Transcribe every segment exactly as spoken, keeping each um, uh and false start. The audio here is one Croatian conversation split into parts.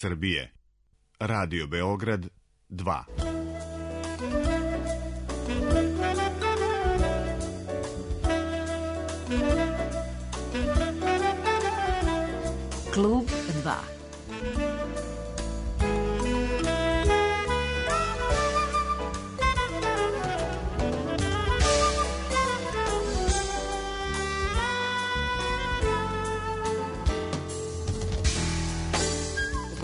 Srbije. Radio Beograd dva. Klub dva.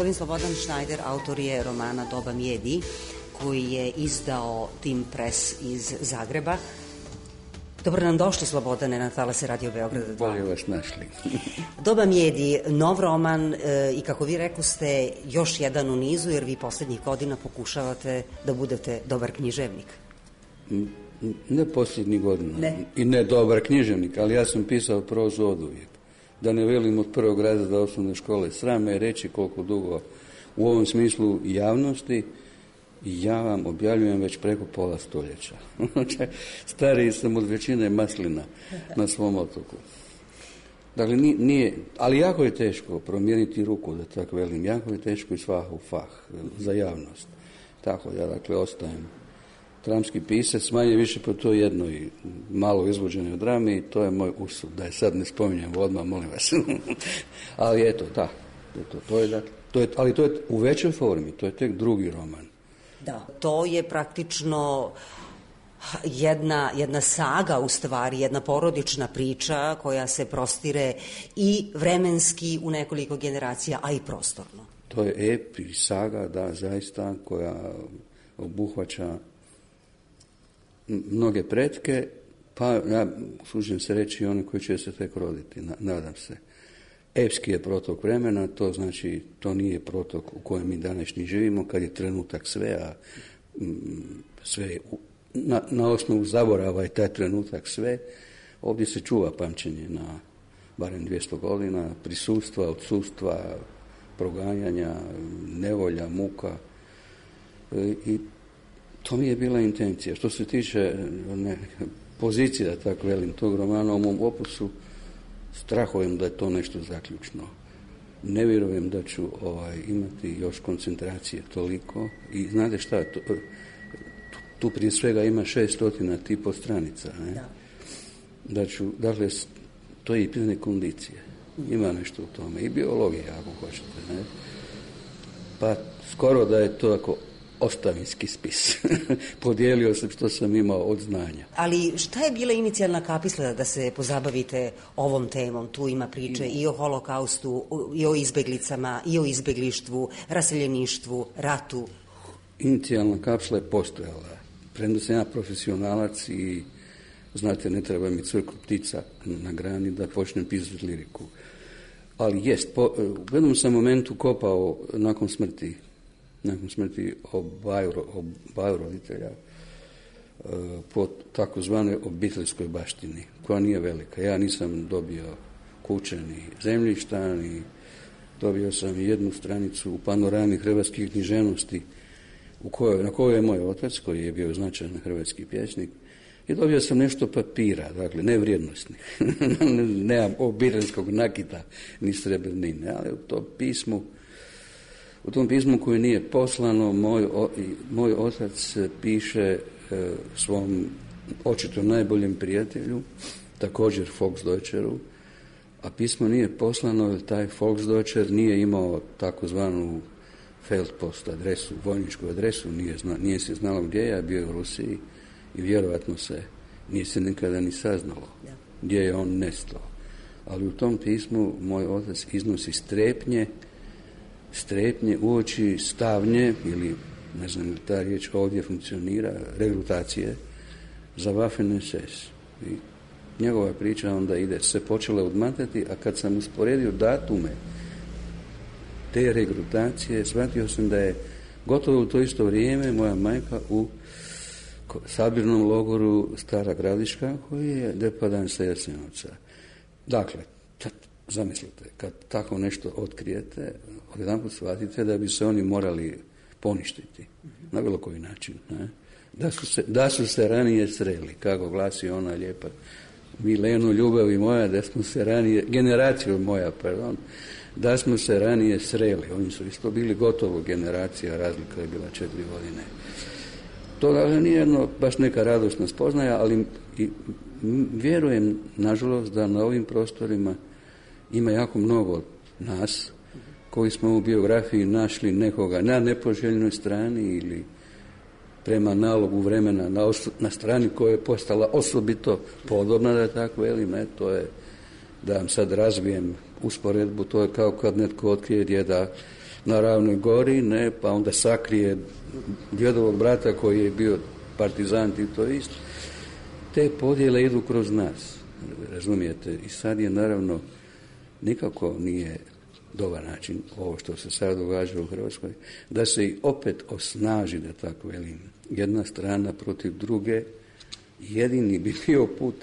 Gospodin Slobodan Šnajder autor je romana Doba Mjedi, koji je izdao Tim Press iz Zagreba. Dobro nam došli, Slobodane, na talase Radio Beograda dva. Bolje vas našli. Doba Mjedi, nov roman e, i kako vi rekoste, još jedan u nizu, jer vi posljednjih godina pokušavate da budete dobar književnik. Ne posljednjih godina. Ne. I ne dobar književnik, ali ja sam pisao prozu oduvijek. Da ne velim od prvog razreda osnovne škole. Sram me je reći koliko dugo u ovom smislu javnosti ja vam objavljujem već preko pola stoljeća. Stariji sam od većine maslina na svom otoku. Dakle, nije, nije, ali jako je teško promijeniti ruku, da tako velim. Jako je teško i svah u fah za javnost. Tako, ja dakle ostajem dramski pisac, manje više po to jednoj malo izvođenoj drami, i to je moj usud, da je sad ne spominjem odmah, molim vas. Ali eto, da, to, to je, dakle, to je, ali to je u većoj formi, to je tek drugi roman. Da, to je praktično jedna, jedna saga, u stvari, jedna porodična priča koja se prostire i vremenski u nekoliko generacija, a i prostorno. To je ep i saga, da, zaista, koja obuhvaća mnoge pretke, pa ja služim se reći i one koji će se tek roditi, nadam se. Epski je protok vremena, to znači, to nije protok u kojem mi današnji živimo, kad je trenutak sve, a sve na, na osnovu zaborava je taj trenutak sve. Ovdje se čuva pamćenje na barem dvjesto godina, prisustva, odsustva, proganjanja, nevolja, muka, i to mi je bila intencija. Što se tiče ne, pozicija, tako velim, tog romana u mom opusu, strahujem da je to nešto zaključno. Ne vjerujem da ću ovaj, imati još koncentracije toliko. I znate šta, to, tu, tu prije svega ima šestotina tipo stranica. Ne? Da. Da ću, dakle, to je i pitanje kondicije. Ima nešto u tome. I biologije, ako hoćete. Ne? Pa skoro da je to ako ostavinski spis. Podijelio sam što sam imao od znanja. Ali šta je bila inicijalna kapisla da se pozabavite ovom temom? Tu ima priče i o holokaustu, i o izbeglicama, i o izbeglištvu, raseljeništvu, ratu. Inicijalna kapsla je postojala. Premda sam ja profesionalac i, znate, ne treba mi cvrku ptica na grani da počnem pisati liriku. Ali jest, po, u jednom sam momentu kopao nakon smrti nakon smrti obaju, obaju roditelja po takozvanoj obiteljskoj baštini, koja nije velika. Ja nisam dobio kuće ni zemljišta, ni dobio sam jednu stranicu u panorami hrvatskih književnosti u kojoj, na kojoj je moj otac, koji je bio značajan hrvatski pjesnik, i dobio sam nešto papira, dakle, ne vrijednosnih. Nemam obiteljskog nakita ni srebrnine, ali u tom pismu U tom pismu koje nije poslano, moj, o, moj otac piše e, svom očito najboljem prijatelju, također Volksdeutscheru, a pismo nije poslano jer taj Volksdeutscher nije imao takozvanu Feldpost adresu, vojničku adresu, nije, zna, nije se znalo gdje je, bio je u Rusiji i vjerojatno se nije se nikada ni saznalo gdje je on nestao. Ali u tom pismu moj otac iznosi strepnje strepnje uoči stavnje, ili ne znam li ta riječ ovdje funkcionira, regrutacije za Waffen es es. I njegova priča onda ide, se počela odmatati, a kad sam usporedio datume te regrutacije, shvatio sam da je gotovo u to isto vrijeme moja majka u sabirnom logoru Stara Gradiška, koji je depadan sa Jasenovca. Dakle, tad, zamislite, kad tako nešto otkrijete, odjedanput shvatite da bi se oni morali poništiti na bilo koji način. Ne? Da, su se, da su se ranije sreli, kako glasi ona lijepa Milenu, ljubavi moja, da smo se ranije, generaciju moja, pardon, da smo se ranije sreli. Oni su isto bili gotovo generacija, razlika je bila četiri godine. To dakle nije jedno baš neka radosna spoznaja, ali i, m, vjerujem, nažalost, da na ovim prostorima ima jako mnogo nas koji smo u biografiji našli nekoga na nepoželjnoj strani ili prema nalogu vremena na, os- na strani koja je postala osobito podobna, da tako velim, ne, to je, da vam sad razvijem usporedbu, to je kao kad netko otkrije djeda na Ravnoj gori, ne, pa onda sakrije djedovog brata koji je bio partizan i to isto. Te podjele idu kroz nas, razumijete, i sad je naravno nikako nije dobar način ovo što se sad događa u Hrvatskoj, da se i opet osnaži, da tako velim, jedna strana protiv druge. Jedini bi bio put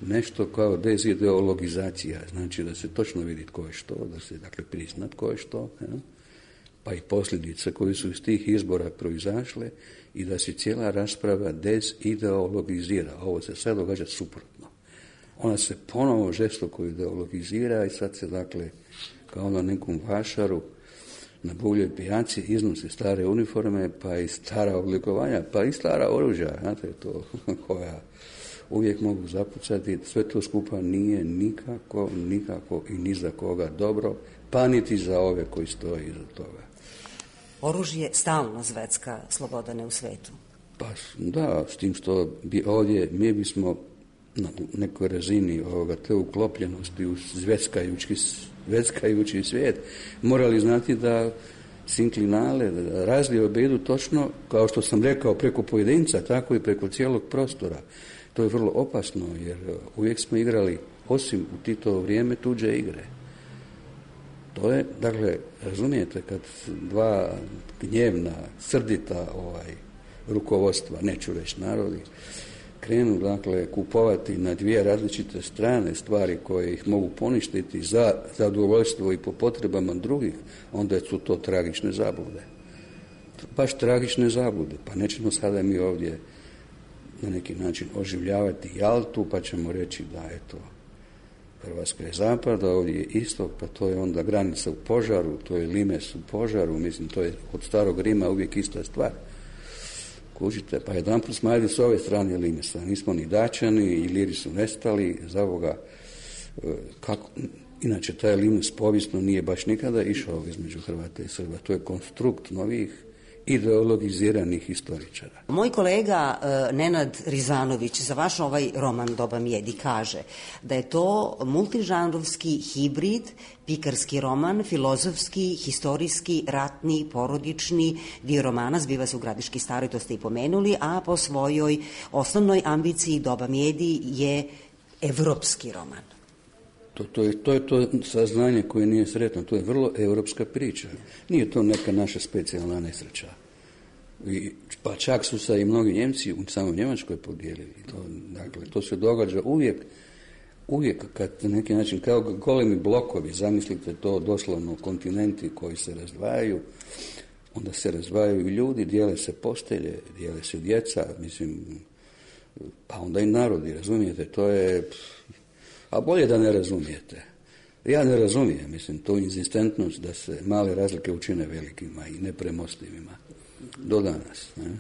nešto kao dezideologizacija, znači da se točno vidi tko je što, da se dakle prizna tko je što, ja? Pa i posljedice koje su iz tih izbora proizašle i da se cijela rasprava dezideologizira. Ovo se sad događa suprotno. Ona se ponovo žestoko ideologizira i sad se dakle kao na nekom vašaru na buvljoj pijaci iznose stare uniforme, pa i stara oblikovanja, pa i stara oružja, znate, to koja uvijek mogu zapucati. Sve to skupa nije nikako, nikako i ni za koga dobro, pa niti za ove koji stoje iza toga. Oružje stalno zvecka, Slobodane, u svetu. Pa da, s tim što bi ovdje mi bismo na nekoj razini ovoga te uklopljenosti u zveckajući, zveckajući svijet morali znati da sinklinale, da razlije idu točno, kao što sam rekao, preko pojedinca, tako i preko cijelog prostora. To je vrlo opasno, jer uvijek smo igrali, osim u Titovo vrijeme, tuđe igre. To je, dakle, razumijete, kad dva gnjevna, srdita ovaj, rukovodstva, neću reći narodi, krenu, dakle, kupovati na dvije različite strane stvari koje ih mogu poništiti za zadovoljstvo i po potrebama drugih, onda su to tragične zablude. Baš tragične zablude. Pa nećemo sada mi ovdje na neki način oživljavati Jaltu, pa ćemo reći da, eto, Hrvatska je zapad, a ovdje je istok, pa to je onda granica u požaru, to je limes u požaru, mislim, to je od starog Rima uvijek ista stvar. Kužite, pa jedan put smo ajde s ove strane limesa, nismo ni Dačani, i Iliri su nestali, za ovoga, kako, inače taj limes povijesno nije baš nikada išao između Hrvata i Srba, to je konstrukt novih ideologiziranih historičara. Moj kolega uh, Nenad Rizvanović za vaš ovaj roman Doba Mjedi kaže da je to multižanrovski hibrid, pikarski roman, filozofski, historijski, ratni, porodični. Dio romana zbiva se u Gradiški Staroj, to ste i pomenuli, a po svojoj osnovnoj ambiciji Doba Mjedi je evropski roman. To, to, je, to je to saznanje koje nije sretno, to je vrlo europska priča. Nije to neka naša specijalna nesreća. I, pa čak su se i mnogi Njemci u samoj Njemačkoj podijelili. To, dakle, to se događa uvijek, uvijek kad na neki način, kao golemi blokovi, zamislite to doslovno kontinenti koji se razdvajaju, onda se razdvajaju ljudi, dijele se postelje, dijele se djeca, mislim, pa onda i narodi, razumijete, to je... A bolje da ne razumijete. Ja ne razumijem, mislim, tu inzistentnost da se male razlike učine velikima i nepremostivima. Do danas. Ne?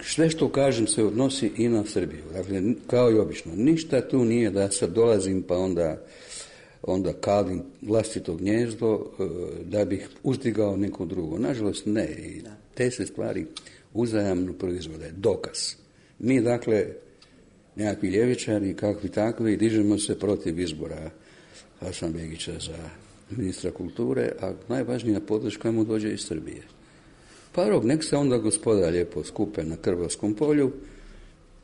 Sve što kažem se odnosi i na Srbiju. Dakle, kao i obično. Ništa tu nije da sad dolazim pa onda, onda kalim vlastito gnjezdo da bih uzdigao neko drugo. Nažalost, ne. I te se stvari uzajamno proizvode. Dokaz. Mi, dakle, nekakvi ljevičari, kakvi takvi, dižemo se protiv izbora Hasanbegića za ministra kulture, a najvažnija podrška mu dođe iz Srbije. Pa rok, nek se onda gospoda lijepo skupe na Krvavskom polju,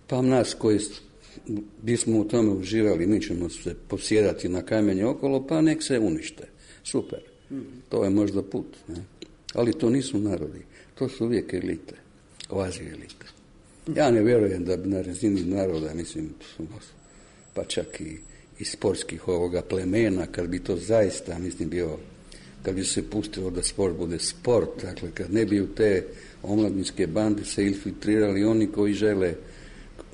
pa nas koji bismo u tome uživali, mi ćemo se posjedati na kamenje okolo, pa nek se unište. Super. To je možda put. Ne? Ali to nisu narodi. To su uvijek elite. Kvazi elite. Ja ne vjerujem da bi na razini naroda, mislim, pa čak i, i sportskih ovoga plemena, kad bi to zaista, mislim, bio, kad bi se pustilo da sport bude sport, dakle, kad ne bi u te omladinske bande se infiltrirali oni koji žele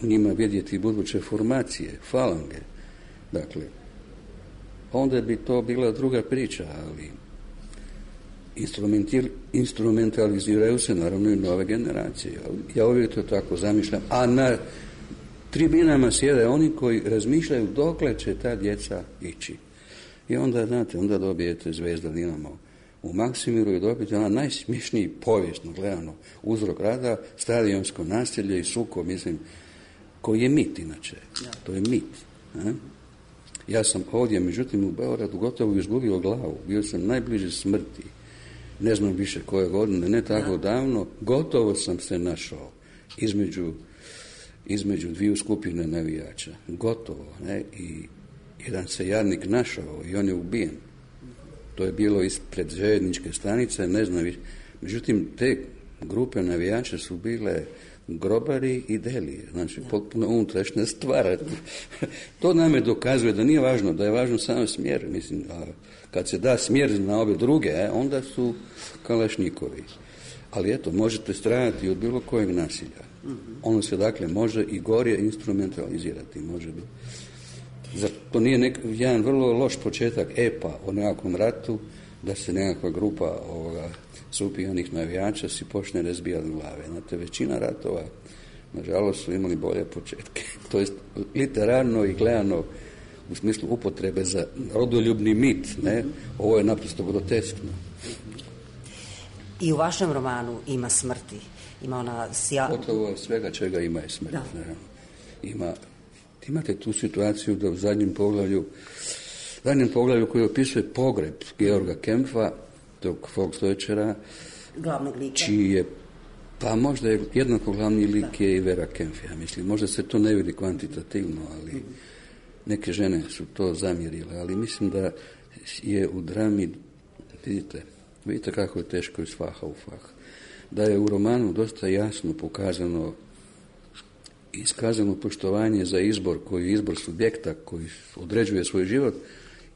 u njima vidjeti buduće formacije, falange. Dakle, onda bi to bila druga priča, ali instrumentaliziraju se naravno i nove generacije. Ja uvijek to tako zamišljam. A na tribinama sjede oni koji razmišljaju dokle će ta djeca ići. I onda, znate, onda dobijete Zvezda Dinamo u Maksimiru i dobijete ona najsmiješniji povijesno gledano uzrok rada, stadionsko nasilje i sukob, mislim, koji je mit inače. To je mit. Ne? Ja sam ovdje, međutim, u Beogradu gotovo izgubio glavu. Bio sam najbliže smrti. Ne znam više koje godine, ne tako davno. Gotovo sam se našao između, između dviju skupine navijača. Gotovo. Ne? I jedan se jadnik našao i on je ubijen. To je bilo ispred željezničke stanice, ne znam više. Međutim, te grupe navijača su bile grobari i delije, znači potpuno unutrašnja stvar. To nam je dokazuje da nije važno, da je važno samo smjer. Mislim, a kad se da smjer na ove druge, onda su kalašnjikovi. Ali eto, možete stradati od bilo kojeg nasilja. Ono se dakle može i gorje instrumentalizirati, može biti. Zar to nije nek, jedan vrlo loš početak epa o nekakvom ratu, da se nekakva grupa ovoga supijanih navijača si počne razbijati glave. Znate, većina ratova, nažalost, su imali bolje početke. To jest literarno i gledano u smislu upotrebe za rodoljubni mit. Ne? Ovo je naprosto groteskno. I u vašem romanu ima smrti. Ima ona sja... Gotovo svega čega ima je smrt. Ima, imate tu situaciju da u zadnjem poglavlju zadnjem poglavlju koji opisuje pogreb Georga Kempfa, tog Volksdeutschera, glavnog lika, čiji je, pa možda je jednako glavni lik je i Vera Kempf, ja mislim. Možda se to ne vidi kvantitativno, ali neke žene su to zamjerile, ali mislim da je u drami, vidite, vidite kako je teško iz faha u fah, da je u romanu dosta jasno pokazano iskazano poštovanje za izbor koji je izbor subjekta koji određuje svoj život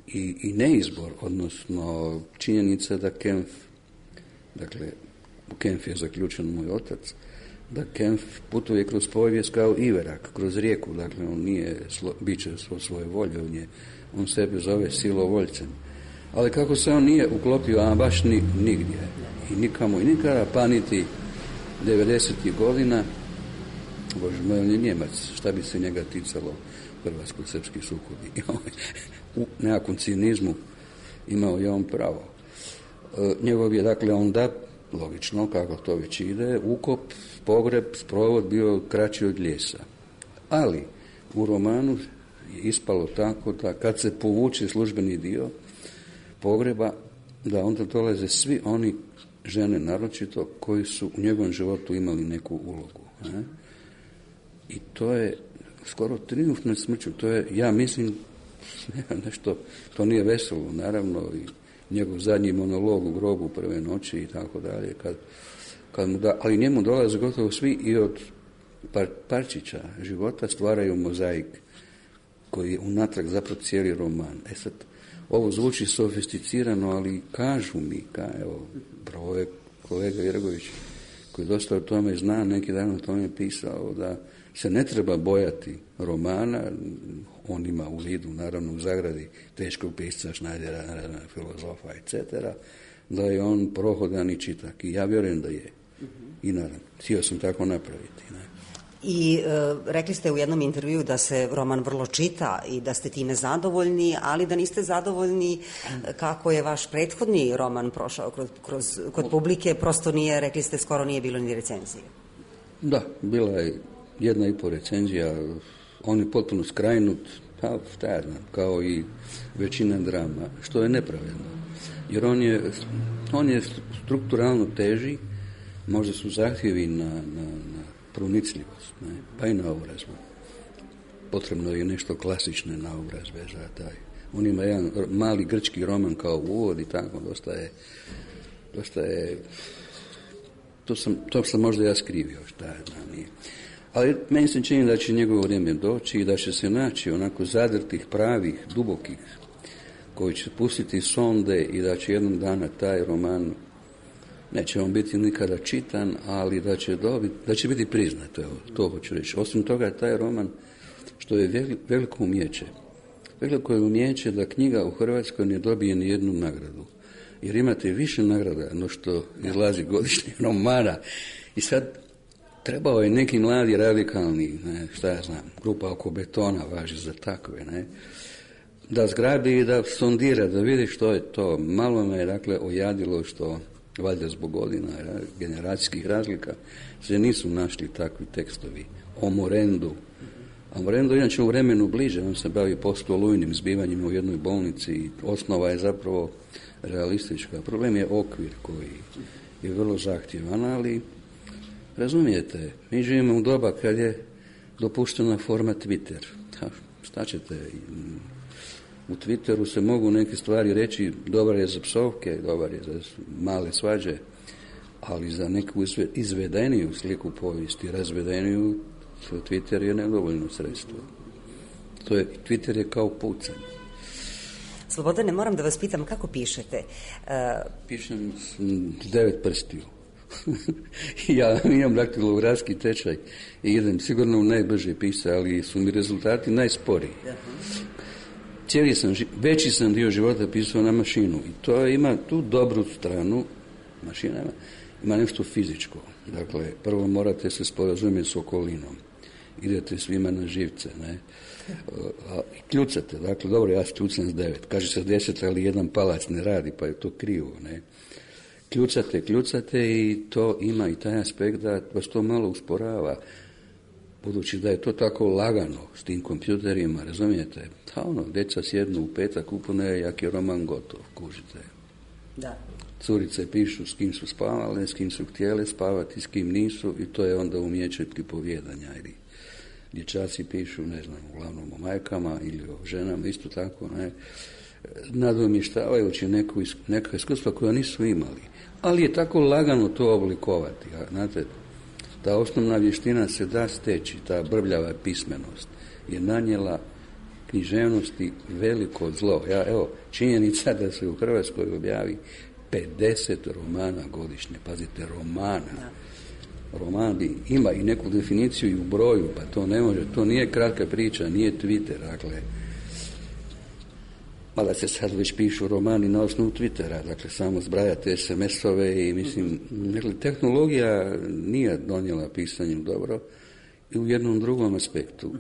i, i neizbor, odnosno činjenica da Kempf, dakle, u Kempf je zaključen moj otac, da Kempf putuje kroz povijest kao Iverak, kroz rijeku, dakle, on nije slo, biće svo svoje volje, on, je, on sebe zove silovoljcem. Ali kako se on nije uklopio, a baš ni, nigdje, i nikamo i nikada, pa niti devedesetih godina, Bože moj, on je Njemac, šta bi se njega ticalo hrvatsko-srpski sukobi. U nekakvom cinizmu imao je on pravo. E, njegov je, dakle, onda, logično, kako to već ide, ukop, pogreb, sprovod bio kraći od Ljesa. Ali u romanu je ispalo tako da kad se povuče službeni dio pogreba, da onda dolaze svi oni, žene naročito, koji su u njegovom životu imali neku ulogu. Ne? I to je skoro trijumf nad smrću. To je, ja mislim, nešto, to nije veselo, naravno, i njegov zadnji monolog u grobu prve noći i tako dalje, kad, kad mu da, ali njemu dolaze gotovo svi i od par, parčića života stvaraju mozaik koji je unatrag zapravo cijeli roman. E sad, ovo zvuči sofisticirano, ali kažu mi, ka, evo, pravo je kolega Jergović, koji dosta o tome zna, neki dan o tome pisao, da se ne treba bojati romana, on ima u vidu, naravno u zagradi, teškog pisca, Šnajdera, filozofa, et cetera, da je on prohodan i čitak. I ja vjerujem da je. I naravno, htio sam tako napraviti. Ne? I e, rekli ste u jednom intervju da se roman vrlo čita i da ste time zadovoljni, ali da niste zadovoljni kako je vaš prethodni roman prošao kroz, kroz, kod publike, prosto nije, rekli ste, skoro nije bilo ni recenzije. Da, bila je jedna i po recenzija, on je potpuno skrajnut, pa šta ja znam, kao i većina drama, što je nepravedno. Jer on je, on je strukturalno teži, možda su zahtjevi na, na, na pronicljivost, ne, pa i naobrazbu. Potrebno je nešto klasične naobrazbe za taj. On ima jedan mali grčki roman kao uvod i tako, dosta je, dosta je, to sam, to sam možda ja skrivio, šta je znam, nije. Ali meni se čini da će njegovo vrijeme doći i da će se naći onako zadrtih, pravih, dubokih, koji će pustiti sonde i da će jednom dana taj roman, neće on biti nikada čitan, ali da će, dobiti, da će biti priznat, evo, to hoću reći. Osim toga, taj roman, što je veliko umijeće, veliko je umijeće da knjiga u Hrvatskoj ne dobije ni jednu nagradu. Jer imate više nagrada no što izlazi godišnje romana. I sad trebao je neki mladi radikalni, ne, šta ja znam, grupa oko betona važi za takve, ne, da zgrabi i da sondira, da vidi što je to. Malo me je, dakle, ojadilo što, valjda zbog godina, generacijskih razlika, se nisu našli takvi tekstovi. O Morendu. A Morendu inače u vremenu bliže, on se bavi postolujnim zbivanjima u jednoj bolnici i osnova je zapravo realistička. Problem je okvir koji je vrlo zahtjevan, ali razumijete, mi živimo u doba kad je dopuštena forma Twitter. Ha, šta ćete? U Twitteru se mogu neke stvari reći, dobar je za psovke, dobar je za male svađe, ali za neku izvedeniju sliku povijesti, razvedeniju, Twitter je nedovoljno sredstvo. To je, Twitter je kao pucanj. Slobodane, moram da vas pitam, kako pišete? Uh... Pišem s devet prstiju. Ja imam daktilografski tečaj i idem sigurno u najbrže pisa, ali su mi rezultati najsporiji. Cijeli sam, veći sam dio života pisao na mašinu i to ima tu dobru stranu, mašina ima, ima nešto fizičko. Dakle, prvo morate se sporazumjeti s okolinom. Idete svima na živce, ne? A, kljucate, dakle, dobro, ja kljucam s devet. Kaže se deset, ali jedan palac ne radi, pa je to krivo, ne? Kljucate, kljucate i to ima i taj aspekt da vas to malo usporava. Budući da je to tako lagano s tim kompjuterima, razumijete? Da ono, djeca sjednu u petak, upune jak je roman gotov, kužite. Da. Curice pišu s kim su spavale, s kim su htjele spavati, s kim nisu i to je onda umijeće pripovjedanja. Ili dječaci pišu, ne znam, uglavnom o majkama ili o ženama, isto tako, ne, nadomještavajući neku, neka iskustva koja nisu imali. Ali je tako lagano to oblikovati. A, znate, ta osnovna vještina se da steći, ta brbljava pismenost je nanijela književnosti veliko zlo. Ja, evo, činjenica da se u Hrvatskoj objavi pedeset romana godišnje. Pazite, romana. Da. Roman ima i neku definiciju i u broju, pa to ne može, to nije kratka priča, nije Twitter, dakle, mada se sad već pišu romani na osnovu Twittera, dakle, samo zbrajate es em esove i mislim, dakle, tehnologija nije donijela pisanjem dobro i u jednom drugom aspektu.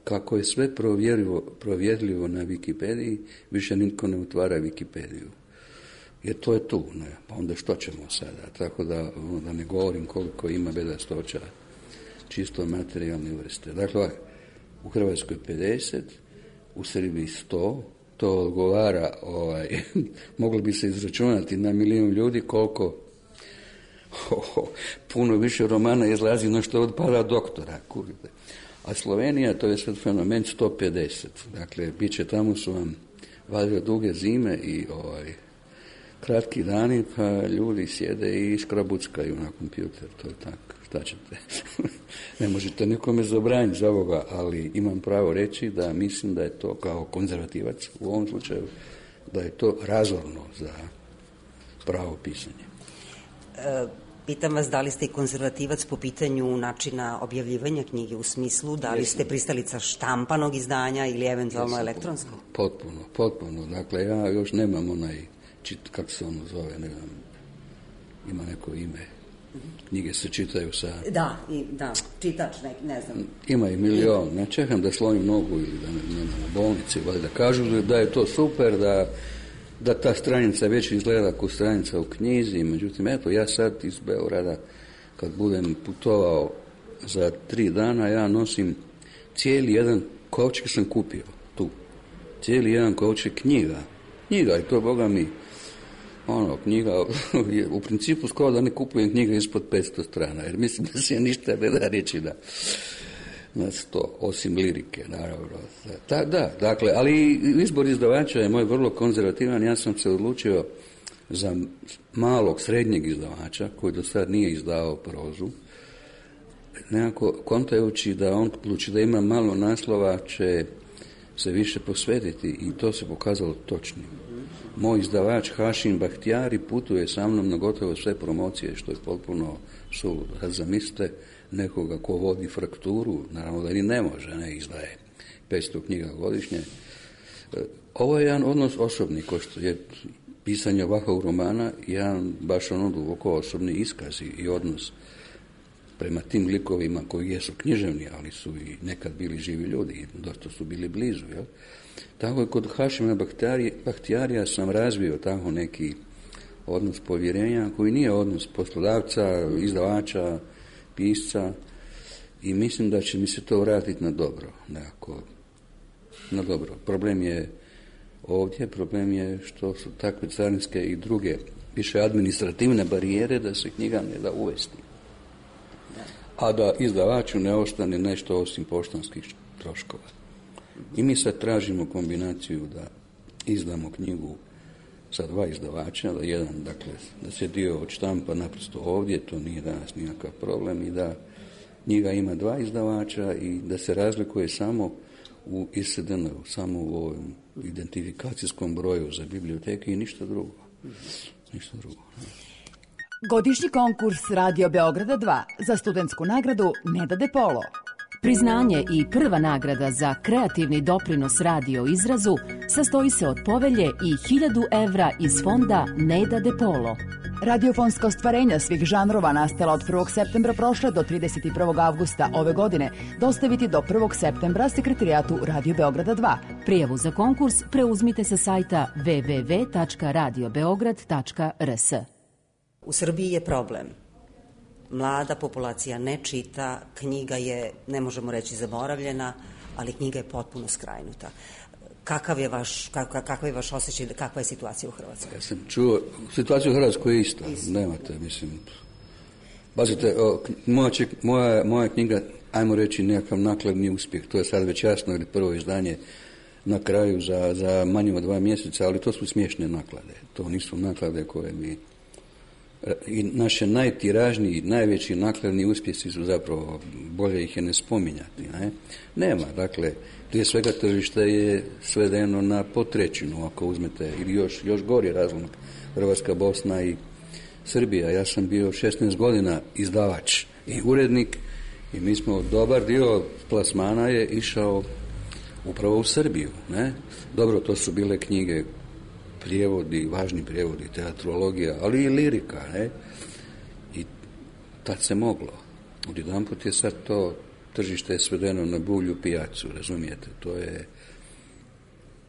Kako je sve provjerljivo, provjerljivo na Wikipediji, više nitko ne otvara Wikipediju. Jer to je tu, ne? Pa onda što ćemo sada? Tako da, da ne govorim koliko ima bedastoća čisto materijalne vrste. Dakle, u Hrvatskoj pedeset, u Srbiji sto, to odgovara, ovaj, moglo bi se izračunati na milijun ljudi koliko oh, oh, puno više romana izlazi na što odpada doktora, kurite. A Slovenija, to je sad fenomen sto pedeset. Dakle, bit će tamo su vam valjda duge zime i ovaj, kratki dani, pa ljudi sjede i škrabuckaju na kompjuter, to je tako, šta ćete? Ne možete nikome zabraniti za ovoga, ali imam pravo reći da mislim da je to kao konzervativac u ovom slučaju, da je to razorno za pravo pisanje. E, pitam vas, da li ste i konzervativac po pitanju načina objavljivanja knjige, u smislu da li ste pristalica štampanog izdanja ili eventualno elektronskog? Potpuno, potpuno. Dakle, ja još nemam onaj čit, kako se ono zove, ne znam, ima neko ime. Knjige se čitaju sa... Da, i, da, čitač, ne, ne znam. Ima i milion. Ne čekam da slomim nogu ili da ne, ne u bolnici, valjda kažu da je to super, da, da ta stranica već izgleda kao stranica u knjizi. Međutim, eto, ja sad iz Beograda, kad budem putovao za tri dana, ja nosim cijeli jedan kovčeg sam kupio tu. Cijeli jedan kovčeg knjiga. Knjiga i to, Boga mi, ono, knjiga, u principu skoro da ne kupujem knjiga ispod petsto strana, jer mislim da se ništa ne da reći da na sto, osim lirike, naravno. Da, da, dakle, ali izbor izdavača je moj vrlo konzervativan, ja sam se odlučio za malog, srednjeg izdavača, koji do sad nije izdavao prozu, nekako kontajući da on odluči da ima malo naslova, će se više posvetiti i to se pokazalo točnim. Moj izdavač Hašim Bahtijari putuje sa mnom na gotovo sve promocije, što je potpuno suludo. Zamislite nekoga ko vodi Frakturu, naravno da ni ne može, ne izdaje petsto knjiga godišnje, Ovo je jedan odnos osobni, ko što je pisanje ovakvog romana, jedan baš ono duboko osobni iskaz i odnos prema tim likovima koji jesu književni, ali su i nekad bili živi ljudi i dosta su bili blizu. Jel? Tako je kod Hašima Bahtijarija sam razvio tako neki odnos povjerenja koji nije odnos poslodavca, izdavača, pisca i mislim da će mi se to vratiti na dobro. Nekako, na dobro. Problem je ovdje, problem je što su takve carinske i druge više administrativne barijere da se knjiga ne da uvesti. A da izdavaču ne ostane nešto osim poštanskih troškova. I mi sad tražimo kombinaciju da izdamo knjigu sa dva izdavača, da jedan, dakle, da se dio odštampa naprosto ovdje, to nije danas nikakav problem, i da knjiga ima dva izdavača i da se razlikuje samo u I S D N-u, samo u ovom identifikacijskom broju za biblioteke i ništa drugo. Ništa drugo. Godišnji konkurs Radio Beograda dva za studentsku nagradu Neda De Polo. Priznanje i prva nagrada za kreativni doprinos radio izrazu sastoji se od povelje i hiljadu evra iz fonda Neda De Polo. Radiofonska ostvarenja svih žanrova nastala od prvog septembra prošle do trideset prvog avgusta ove godine dostaviti do prvog septembra sekretarijatu Radio Beograda dva. Prijavu za konkurs preuzmite sa sajta w w w tačka radio beograd tačka r s. U Srbiji je problem. Mlada populacija ne čita, knjiga je, ne možemo reći zaboravljena, ali knjiga je potpuno skrajnuta. Kakav je vaš, kakav, kakav je vaš osjećaj, kakva je situacija u Hrvatskoj? Ja sam čuo, situacija u Hrvatskoj je ista, Isto. Nemate, mislim, pazite, moja, moja, moja knjiga, ajmo reći nekakav nakladni uspjeh, to je sad već jasno, ili prvo izdanje na kraju za, za manje od dva mjeseca, ali to su smiješne naklade, to nisu naklade koje bi... I naše najtiražniji, najveći nakladni uspjesi su zapravo, bolje ih je ne spominjati. Ne? Nema, dakle, prije svega tržište je svedeno na potrećinu, ako uzmete, ili još, još gori razlog, Hrvatska, Bosna i Srbija. Ja sam bio šesnaest godina izdavač i urednik i mi smo, dobar dio plasmana je išao upravo u Srbiju. Ne? Dobro, to su bile knjige, prijevodi, važni prijevodi, teatrologija, ali i lirika, ne? I tad se moglo. Odjedanput je sad to tržište je svedeno na bulju pijacu, razumijete? To je,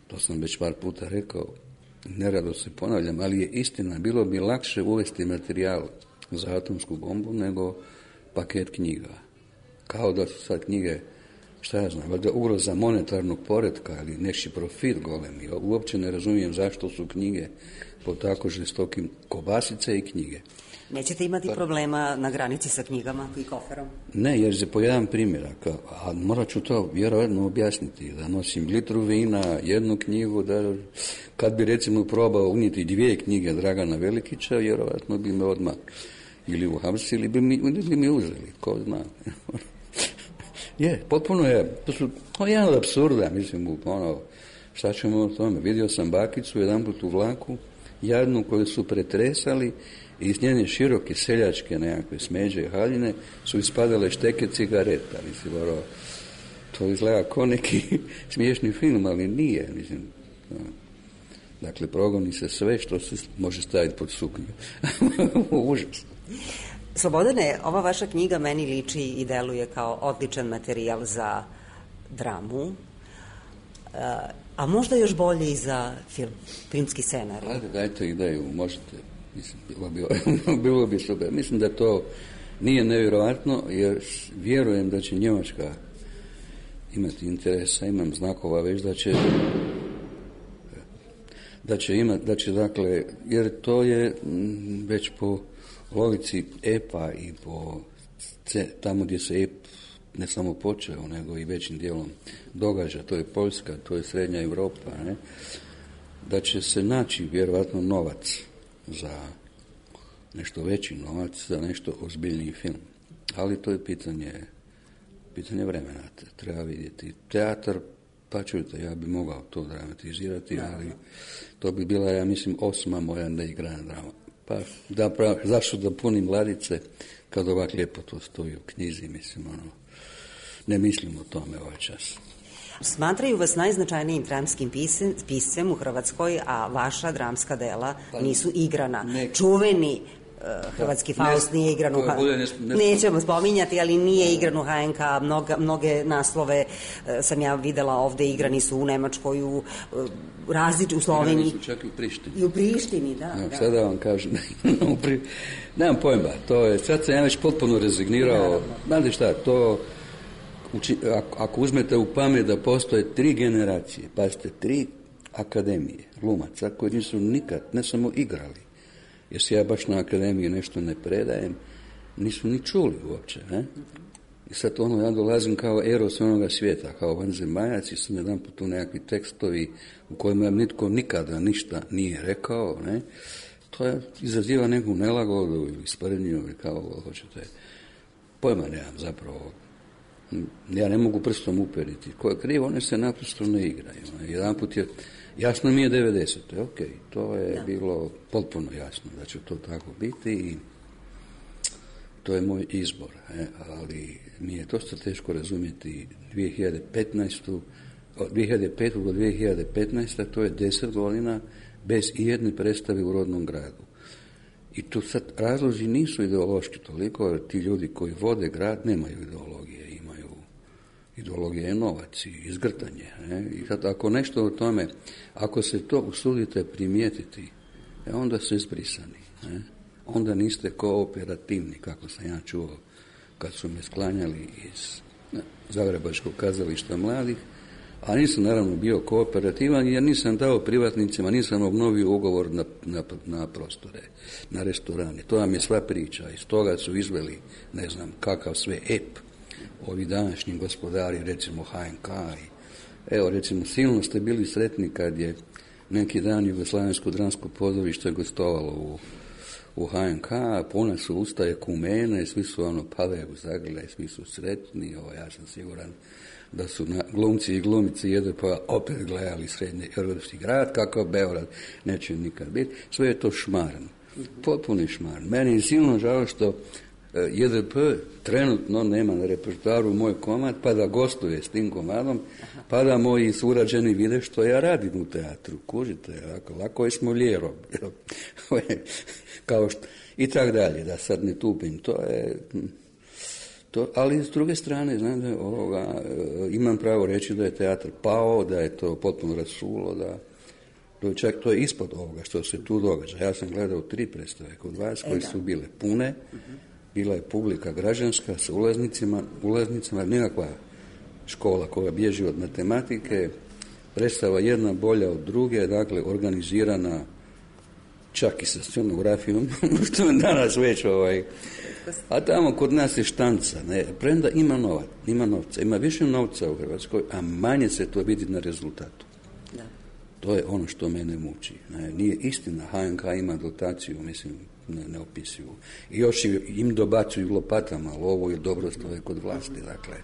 to sam već par puta rekao, nerado se ponavljam, ali je istina, bilo bi lakše uvesti materijal za atomsku bombu nego paket knjiga. Kao da su sad knjige, šta ja znam, valjda ugroza monetarnog poretka ili neki profit golemi. Uopće ne razumijem zašto su knjige po tako žestokim, kobasice i knjige. Nećete imati pa, problema na granici sa knjigama i koferom? Ne, jer se po jedan primjerak, a morat ću to vjerovatno objasniti, da nosim litru vina, jednu knjigu, da kad bi recimo probao unijeti dvije knjige Dragana Velikića, vjerovatno bi me odmah ili uhapsili ili bi mi, ili bi mi uzeli, ko zna. Je, potpuno je, to su, to je jedan od apsurda, mislim, ono, šta ćemo o tome, vidio sam bakicu jedanput u vlaku, jadnu koju su pretresali i iz njene široke seljačke nekakve smeđe i haljine su ispadale šteke cigareta, mislim, ono, to izgleda kao neki smiješni film, ali nije, mislim, no. Dakle, progoni se sve što se može staviti pod suknju. Užas. Slobodane, ova vaša knjiga meni liči i deluje kao odličan materijal za dramu, a možda još bolje i za film, filmski scenarij. Ajde, dajte ideju, možete, mislim, bilo bi, bilo bi super. Mislim da to nije nevjerojatno, jer vjerujem da će Njemačka imati interesa, imam znakova već da će da će imati, da će dakle, jer to je već po logici epa i po tamo gdje se ep ne samo počeo, nego i većim dijelom događa, to je Poljska, to je Srednja Europa, ne? Da će se naći vjerojatno novac za nešto veći novac, za nešto ozbiljniji film. Ali to je pitanje, pitanje vremena, treba vidjeti. Teatar, pa čujte, ja bi mogao to dramatizirati, ali to bi bila, ja mislim, osma moja neigrana drama. Pa da, prav, zašto da punim ladice kad ovak lijepo to stoji u knjizi, mislim, ono, ne mislim o tome ovaj čas. Smatraju vas najznačajnijim dramskim pisem, piscem u Hrvatskoj, a vaša dramska dela nisu igrana. Ne. Čuveni uh, hrvatski Faust nije igran u H N K. Nećemo spominjati, ali nije igran u H N K. Mnoga, mnoge naslove uh, sam ja videla ovde, igrani su u Nemačkoj, u, uh, različ, u Sloveniji. Igrani su čak i u Prištini. I u Prištini, da. No, da. Sada vam kažem, nemam pojma, to je, sad sam ja već potpuno rezignirao. Znate šta, to... Uči, ako, ako uzmete u pamet da postoje tri generacije, pazite, tri akademije glumaca koji nisu nikad, ne samo igrali, jer se ja baš na akademiji nešto ne predajem, nisu ni čuli uopće, ne? I sad ono, ja dolazim kao eros onoga svijeta, kao vanzemaljac i sam jedan put tu nekakvi tekstovi u kojima nitko nikada ništa nije rekao, ne? To je izaziva neku nelagodu ili sprednju ili kao hoćete. Pojma nemam zapravo. Ja ne mogu prstom uperiti. Ko je krivo, one se naprosto ne igraju. Jedan put je, jasno mi je devedesete. Ok, to je da. Bilo potpuno jasno da će to tako biti i to je moj izbor. E, ali mi je dosta teško razumjeti dvije hiljade petnaeste. Od dvije hiljade pete. do dvije hiljade petnaeste. to je deset godina bez ijedne predstave u rodnom gradu. I tu sad razlozi nisu ideološki toliko, jer ti ljudi koji vode grad nemaju ideologije. Ideologija je novac i izgrtanje. Ne? I sad ako nešto o tome, ako se to usudite primijetiti, e, onda ste izbrisani. Ne? Onda niste kooperativni, kako sam ja čuo kad su me sklanjali iz ne, Zagrebačkog kazališta mladih, a nisam naravno bio kooperativan jer nisam dao privatnicima, nisam obnovio ugovor na, na, na prostore, na restorane. To vam je sva priča. Iz toga su izveli, ne znam, kakav sve ep. Ovi današnji gospodari, recimo H N K. I, evo, recimo, silno ste bili sretni kad je neki dan Jugoslavensko dramsko pozorište gostovalo u, u H N K, puna su ustaje kumene, svi su ono pale u zagrljaj, svi su sretni, ovo, ja sam siguran da su na, glumci i glumice jede pa opet gledali srednji europski grad, kako Beograd neće nikad biti, sve je to šmaran, potpuni šmaran. Meni je silno žao što J D P trenutno nema na repertoaru moj komad, pa da gostuje s tim komadom, pa da moji surađeni vide što ja radim u teatru. Kužite, lako, lako je s Molierom. Kao što, i tak dalje, da sad ne tupim. To je, to, ali s druge strane, znate, ovoga, imam pravo reći da je teatr pao, da je to potpuno rasulo, da to je, čak, to je ispod ovoga što se tu događa. Ja sam gledao tri predstave kod vas koje su bile pune, bila je publika građanska sa ulaznicima, ulaznicama, nekakva škola koja bježi od matematike, predstava jedna bolja od druge, dakle organizirana čak i sa scenografijom, što je danas već ovaj. A tamo kod nas je štanca, ne, premda ima novac, ima novca, ima više novca u Hrvatskoj, a manje se to vidi na rezultatu. Da. To je ono što mene muči. Ne, nije istina, H N K ima dotaciju, mislim, ne, ne opisuju. I još im dobacuju lopatama, ali ovo je dobro stoje kod vlasti, dakle.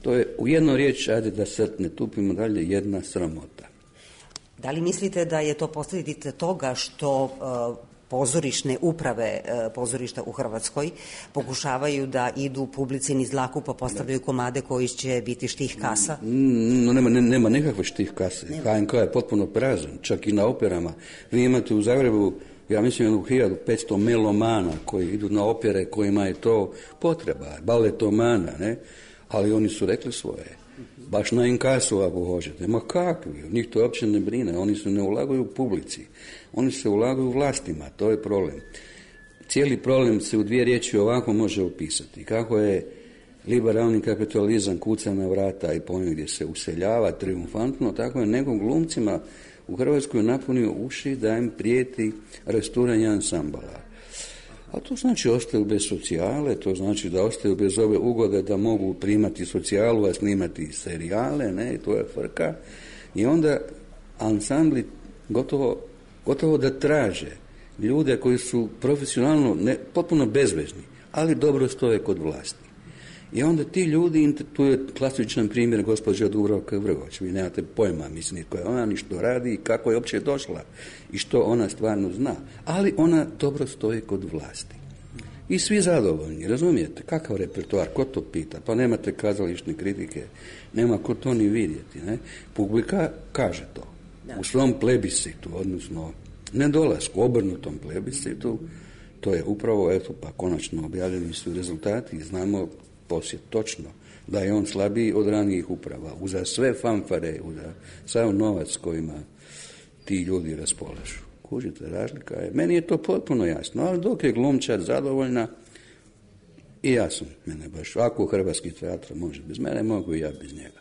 To je u jednu riječ, ajde da sad ne tupimo dalje, jedna sramota. Da li mislite da je to posljedica toga što uh, pozorišne uprave uh, pozorišta u Hrvatskoj pokušavaju da idu publici niz dlaku pa postavljaju komade koji će biti štih kasa? No, nema, nema nekakve štih kase. Nema. H N K je potpuno prazan, čak i na operama. Vi imate u Zagrebu, ja mislim, jednu hiljadu petsto melomana koji idu na opere kojima je to potreba, baletomana, ne? Ali oni su rekli svoje. Baš na inkasu, ako hoćete. Ma kakvi, njih to uopće ne brine. Oni se ne ulaguju u publici. Oni se ulaguju u vlastima, to je problem. Cijeli problem se u dvije riječi ovako može opisati. Kako je liberalni kapitalizam kuca na vrata i pojme gdje se useljava triumfantno, tako je nekom glumcima u Hrvatskoj napunio uši da im prijeti rasturanje ansambala. A to znači ostaju bez socijale, to znači da ostaju bez ove ugode da mogu primati socijalu, a snimati serijale, ne, to je frka. I onda ansambli gotovo, gotovo da traže ljude koji su profesionalno, ne, potpuno bezvezni, ali dobro stoje kod vlasti. I onda ti ljudi, tu je klasičan primjer gospođa Dubravka Vrgoč, vi nemate pojma, mislim, koja ona ni što radi i kako je uopće došla i što ona stvarno zna, ali ona dobro stoji kod vlasti. I svi zadovoljni, razumijete? Kakav repertoar, ko to pita? Pa nemate kazališne kritike, nema ko to ni vidjeti. Ne? Publika kaže to. Da. U svom plebiscitu, odnosno nedolasku, obrnutom plebiscitu, to je upravo, eto, pa konačno objavljeni su rezultati i znamo poslije točno da je on slabiji od ranijih uprava. Uza sve fanfare, uza sav novac kojima ti ljudi raspolažu. Kužite, razlika je. Meni je to potpuno jasno, ali dok je glumčar zadovoljna, i ja sam, mene baš, ako Hrvatski teatr može bez mene, mogu i ja bez njega.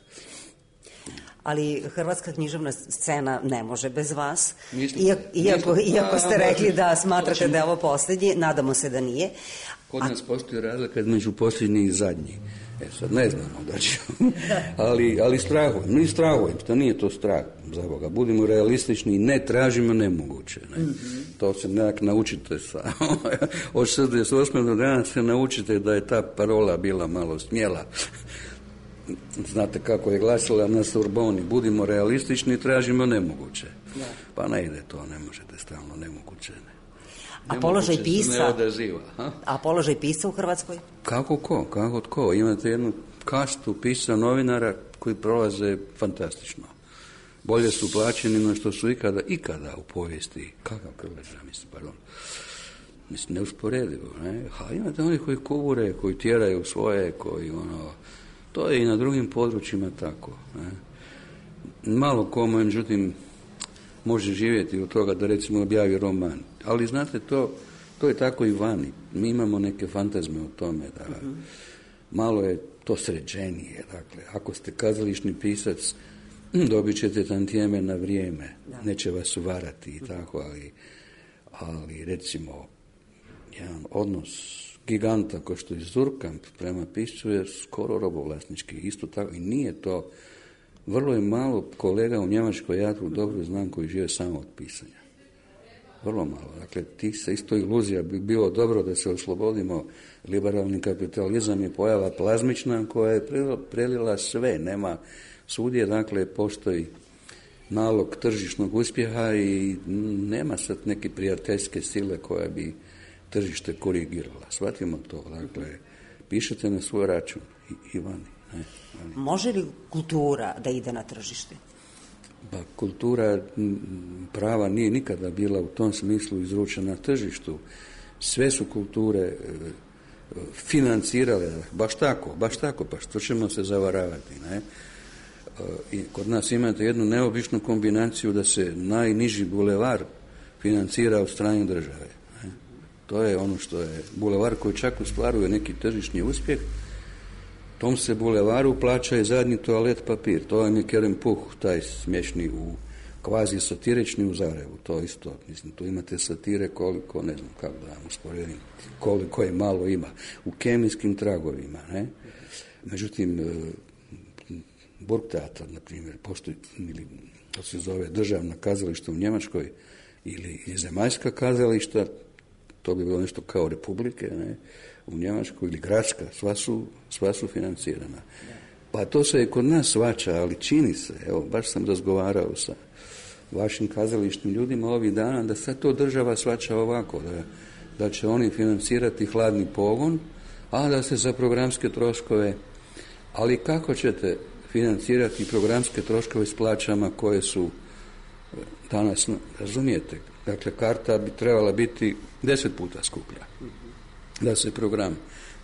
Ali hrvatska književna scena ne može bez vas, Mislim, iako, iako, mislim, iako ste a, rekli da smatrate ćemo, da je ovo posljednji, nadamo se da nije. Kod nas postoji razlika između posljednji i zadnji. E sad ne znamo da ćemo, ali, ali strahujem, mi strahujem, to nije to strah, za Boga, budimo realistični i ne tražimo nemoguće. Ne? Mm-hmm. To se nekak naučite sa, od šezdeset osme do danas se naučite da je ta parola bila malo smjela. Znate kako je glasila na Sorboni, budimo realistični i tražimo nemoguće. Da. Pa ne ide to, ne možete stalno nemoguće. Ne. A položaj pisca? Odaziva, a položaj pisca u Hrvatskoj? Kako ko, kako tko. Imate jednu kastu pisca novinara koji prolaze fantastično. Bolje su plaćeni no što su ikada, ikada u povijesti. Kakav Krleža, mislim, pardon. Mislim, neusporedivo, ne? A imate oni koji kuvure, koji tjeraju svoje, koji ono... To je i na drugim područjima tako. Ne? Malo ko, međutim, može živjeti od toga da recimo objavi roman. Ali znate, to, to je tako i vani. Mi imamo neke fantazme o tome da uh-huh. malo je to sređenije. Dakle, ako ste kazališni pisac, dobit ćete tantijeme na vrijeme. Da. Neće vas uvarati i tako, ali, ali recimo jedan odnos giganta ko što je Zurkamp prema piscu je skoro robovlasnički. Isto tako i nije to. Vrlo je malo kolega u Njemačkoj, ja tu dobro znam, koji žive samo od pisanja. Vrlo malo. Dakle, ti se isto iluzija bi bilo dobro da se oslobodimo. Liberalni kapitalizam je pojava plazmična koja je prelila sve. Nema svudje, dakle, postoji nalog tržišnog uspjeha i nema sad neke prijateljske sile koja bi tržište korigirala. Shvatimo to. Dakle, pišete na svoj račun i, i vani. Ne, vani. Može li kultura da ide na tržište? Pa kultura prava nije nikada bila u tom smislu izručena na tržištu. Sve su kulture financirale, baš tako, baš tako, pa što ćemo se zavaravati, ne? I kod nas imate jednu neobičnu kombinaciju da se najniži bulevar financira od strane države. Ne? To je ono što je bulevar koji čak ostvaruje neki tržišni uspjeh. Tom se bulevaru plaća i zadnji toalet papir. To je Kerem Puh, taj smiješni u kvazi satirični u Zagrebu. To isto, mislim, tu imate satire koliko, ne znam kako da vam usporedim, koliko je malo ima. U kemijskim tragovima, ne? Međutim, Burgtheater, na primjer, postoji, ili to se zove državna kazališta u Njemačkoj, ili zemaljska kazališta, to bi bilo nešto kao republike, ne? U Njemačkoj, ili gradska, sva su, sva su financirana. Pa to se i kod nas svača, ali čini se, evo, baš sam razgovarao sa vašim kazališnim ljudima ovih dana, da sad to država svača ovako, da, da će oni financirati hladni pogon, a da se za programske troškove, ali kako ćete financirati programske troškove s plaćama koje su danas, razumijete, dakle, karta bi trebala biti deset puta skuplja da se program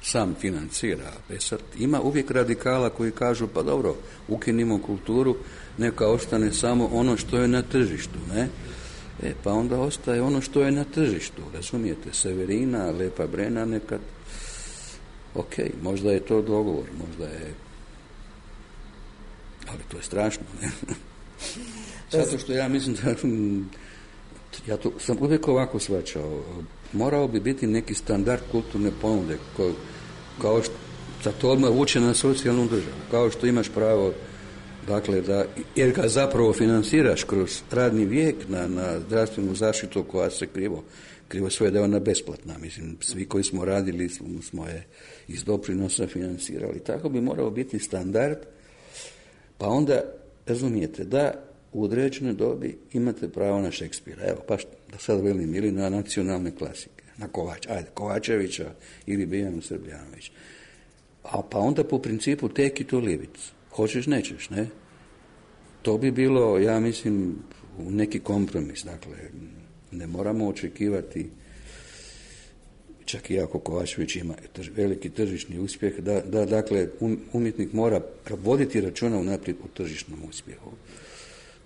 sam financira. E sad, ima uvijek radikala koji kažu, pa dobro, ukinimo kulturu, neka ostane samo ono što je na tržištu, ne? E, pa onda ostaje ono što je na tržištu, razumijete, Severina, Lepa Brena, nekad, ok, možda je to dogovor, možda je, ali to je strašno, ne? Zato što ja mislim da, ja to sam uvijek ovako shvaćao, morao bi biti neki standard kulturne ponude, ko, kao što, za to odmah vuče na socijalnu državu, kao što imaš pravo, dakle, da, jer ga zapravo financiraš kroz radni vijek na, na zdravstvenu zaštitu koja se krivo, krivo svoje da je ona besplatna, mislim, svi koji smo radili smo, smo je iz doprinosa financirali, tako bi morao biti standard, pa onda, razumijete, da u određenoj dobi imate pravo na Šekspira, evo, pa da sad velim, ili na nacionalne klasike. na Kovač, ajde, Kovačevića ili Bijanu Srbljanović. A pa onda po principu take it or leave it. Hoćeš, nećeš, ne? To bi bilo, ja mislim, neki kompromis. Dakle, ne moramo očekivati, čak i ako Kovačević ima trž, veliki tržišni uspjeh, da, da dakle, um, umjetnik mora voditi računa unaprijed o tržišnom uspjehu.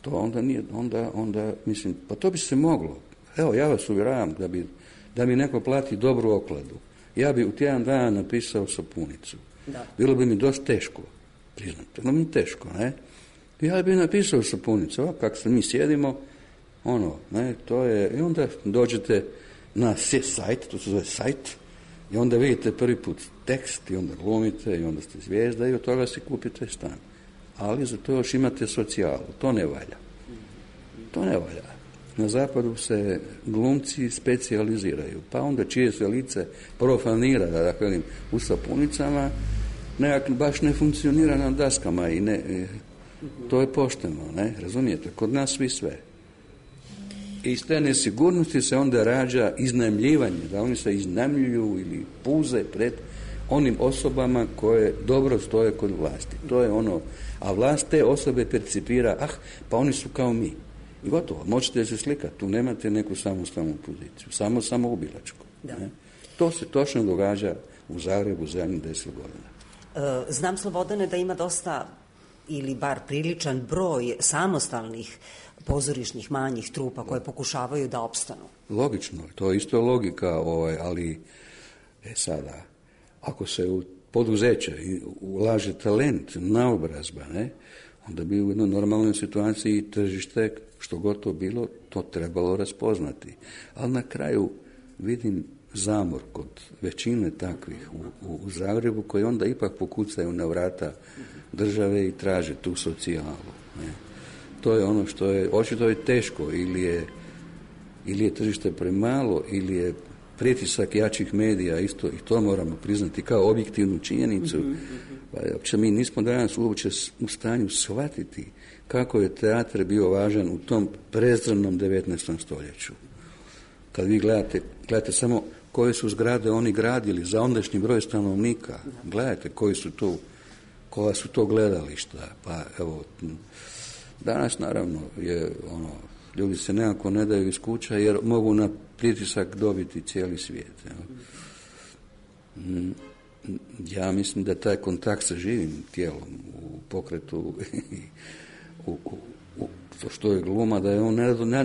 To onda nije, onda, onda, mislim, pa to bi se moglo. Evo, ja vas uvjeravam da bi, da mi neko plati dobru okladu. Ja bi u tjedan dana napisao sapunicu. Da. Bilo bi mi dosta teško, priznam, bilo bi mi teško, ne? Ja bi napisao sapunicu, ovako kako se mi sjedimo, ono, ne, to je, i onda dođete na sajt, to se zove sajt, i onda vidite prvi put tekst, i onda glumite, i onda ste zvijezda, i od toga si kupite stan. Ali za to još imate socijalu, to ne valja. To ne valja. Na zapadu se glumci specijaliziraju, pa onda čije se lice profanira, da dakle velim, u sapunicama, nekak baš ne funkcionira na daskama i ne, to je pošteno, ne, razumijete, kod nas svi sve. I iz te nesigurnosti se onda rađa iznajmljivanje, da oni se iznajmljuju ili puze pred onim osobama koje dobro stoje kod vlasti. To je ono, a vlast te osobe percipira, ah, pa oni su kao mi. I gotovo, možete se slikati, tu nemate neku samostalnu poziciju, samo samoubilačku. Ne? To se točno događa u Zagrebu zadnjih deset godina. E, znam, Slobodane, da ima dosta, ili bar priličan broj samostalnih pozorišnih manjih trupa koje pokušavaju da opstanu. Logično, to je isto logika, ovaj, ali e sada, ako se u poduzeće ulaže talent, naobrazba, ne, onda bi u jednoj normalnoj situaciji tržište, što god to bilo, to trebalo raspoznati. Ali na kraju vidim zamor kod većine takvih u, u, u Zagrebu, koji onda ipak pokucaju na vrata države i traže tu socijalu. Ne. To je ono što je, očito je teško, ili je, ili je tržište premalo, ili je pritisak jačih medija, isto i to moramo priznati kao objektivnu činjenicu. Pa uopće mi nismo danas uopće u stanju shvatiti kako je teatr bio važan u tom prezranom devetnaestom stoljeću. Kad vi gledate, gledate samo koje su zgrade oni gradili za ondašnji broj stanovnika, gledajte koji su to, koja su to gledališta. Pa evo, danas naravno je ono, ljudi se nekako ne daju iz kuća jer mogu na pritisak dobiti cijeli svijet. Ja mislim da taj kontakt sa živim tijelom u pokretu u, u, u, to što je gluma, da je on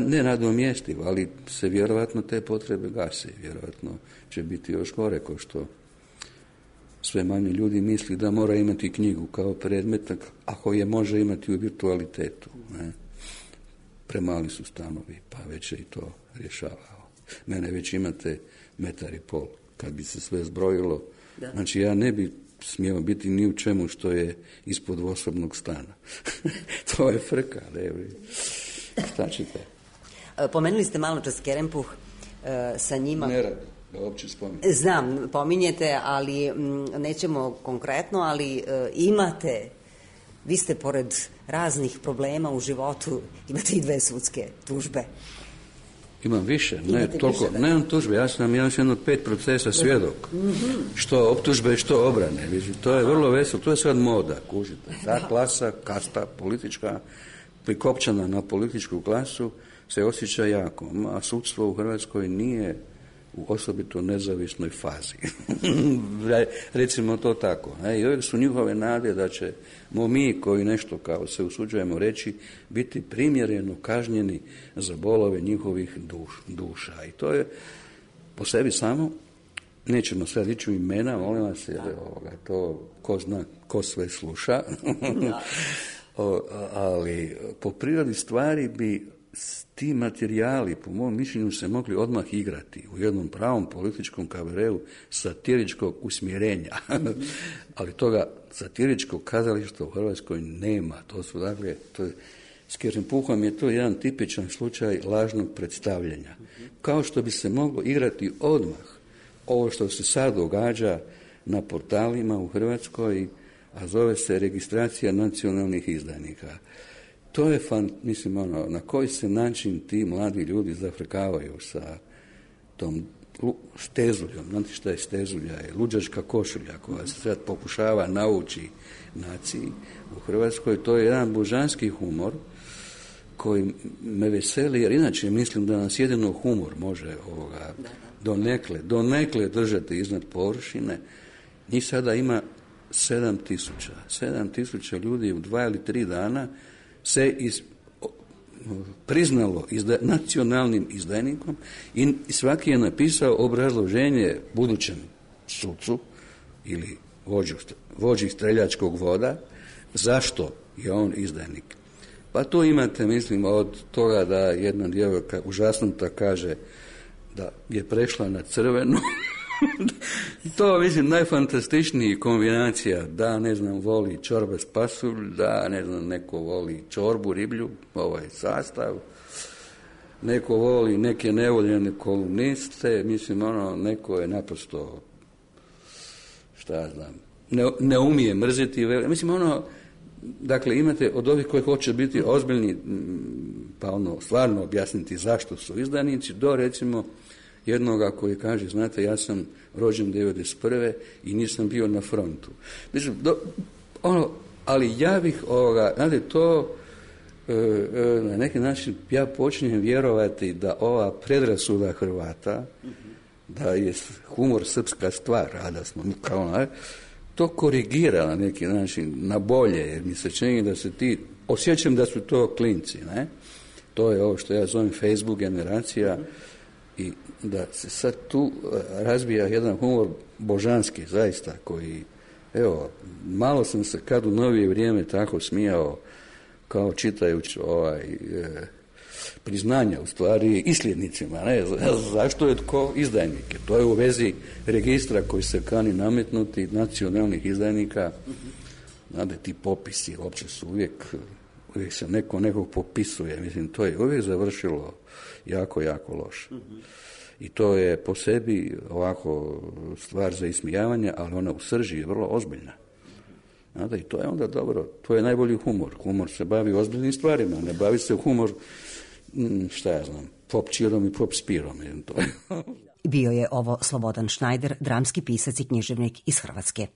nenadomjestiv, ali se vjerojatno te potrebe gase. Vjerojatno će biti još gore, kao što sve manje ljudi misli da mora imati knjigu kao predmet, ako je može imati u virtualitetu. Ne? Premali su stanovi, pa već je i to rješavao. Mene već imate metar i pol. Kad bi se sve zbrojilo, da. Znači ja ne bi smio biti ni u čemu što je ispod osobnog stana. To je frka, ne? Šta ćete? Pomenuli ste malo čas Kerempuh, sa njima... Ne radi, da uopće spominjem. Znam, pominjete, ali m, nećemo konkretno, ali e, imate, vi ste pored raznih problema u životu, imate i dve sudske tužbe. Imam više, ne toliko, ne imam tužbe, ja sam imam jedno pet procesa svjedok, mm-hmm. što optužbe, što obrane, to je vrlo veselo, to je sad moda, kužite, ta klasa, kasta politička, prikopčana na političku klasu, se osjeća jako, a sudstvo u Hrvatskoj nije u osobito nezavisnoj fazi. Recimo to tako. Ne? I uvijek su njihove nade da ćemo mi koji nešto kao se usuđujemo reći biti primjereno kažnjeni za bolove njihovih duš, duša. I to je po sebi samo, nećemo sad ići u imena, molim vas, jer ovoga, to ko zna, ko sve sluša. o, ali po prirodi stvari bi ti materijali, po mom mišljenju, se mogli odmah igrati u jednom pravom političkom kabareu satiričkog usmjerenja. Ali toga satiričkog kazališta u Hrvatskoj nema. To su, dakle, to je, s Kerempuhom je to jedan tipičan slučaj lažnog predstavljanja. Kao što bi se moglo igrati odmah ovo što se sad događa na portalima u Hrvatskoj, a zove se registracija nacionalnih izdajnika. To je, fan, mislim, ono, na koji se način ti mladi ljudi zafrkavaju sa tom stezuljom. Znate šta je stezulja? Je luđačka košulja koja se sad pokušava nauči naciji u Hrvatskoj. To je jedan božanski humor koji me veseli, jer inače mislim da nas jedino humor može ovoga donekle, donekle držati iznad površine. Njih sada ima sedam tisuća. Sedam tisuća ljudi u dva ili tri dana se iz, priznalo izda, nacionalnim izdajnikom i svaki je napisao obrazloženje budućem sucu ili vođu, vođi streljačkog voda zašto je on izdajnik. Pa tu imate, mislim, od toga da jedna djevojka užasnuta kaže da je prešla na crveno. To, mislim, najfantastičniji kombinacija, da, ne znam, voli čorbe s pasulj, da, ne znam, neko voli čorbu, riblju, ovaj sastav, neko voli neke nevoljene kolumniste, mislim, ono, neko je naprosto, šta ja znam, ne, ne umije mrziti, mislim, ono, dakle, imate od ovih koji hoće biti ozbiljni, pa ono, stvarno objasniti zašto su izdanici, do, recimo, jednoga koji kaže, znate, ja sam rođen devedeset prve i nisam bio na frontu. Mislim, do, ono, ali ja bih, ovoga, znate, to e, e, na neki način ja počinjem vjerovati da ova predrasuda Hrvata, da je humor srpska stvar, a da smo kao ne, to korigira na neki način, na bolje, jer mi se čini da se ti, osjećam da su to klinci, ne? To je ovo što ja zovem Facebook generacija, i da se sad tu razvija jedan humor božanski, zaista, koji, evo, malo sam se kad u novije vrijeme tako smijao, kao čitajući ovaj, e, priznanja, u stvari, isljednicima, ne, zašto je tko izdajnike. To je u vezi registra koji se kani nametnuti nacionalnih izdajnika. Znate, ti popisi uopće su uvijek, uvijek se neko nekog popisuje, mislim, to je uvijek završilo jako, jako loše. I to je po sebi ovako stvar za ismijavanje, ali ona u srži je vrlo ozbiljna. Znate, i to je onda dobro, to je najbolji humor. Humor se bavi ozbiljnim stvarima, ne bavi se humor, šta ja znam, pop čirom i pop spirom. To je. Bio je ovo Slobodan Šnajder, dramski pisac i književnik iz Hrvatske.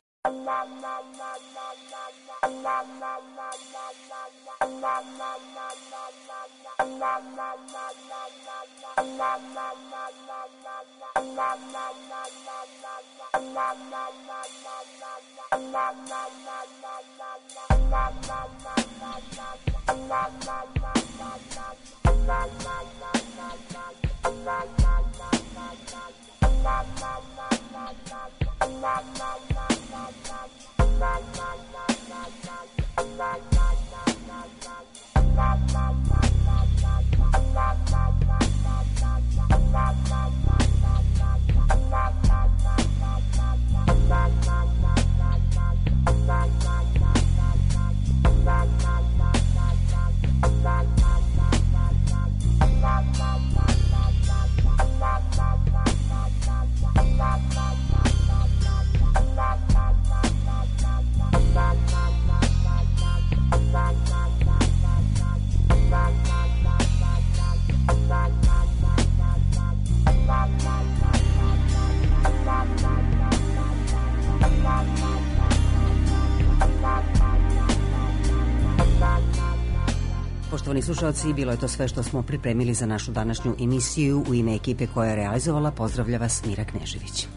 Poštovani slušalci, bilo je to sve što smo pripremili za našu današnju emisiju. U ime ekipe koja je realizovala, pozdravlja vas Mira Knežević.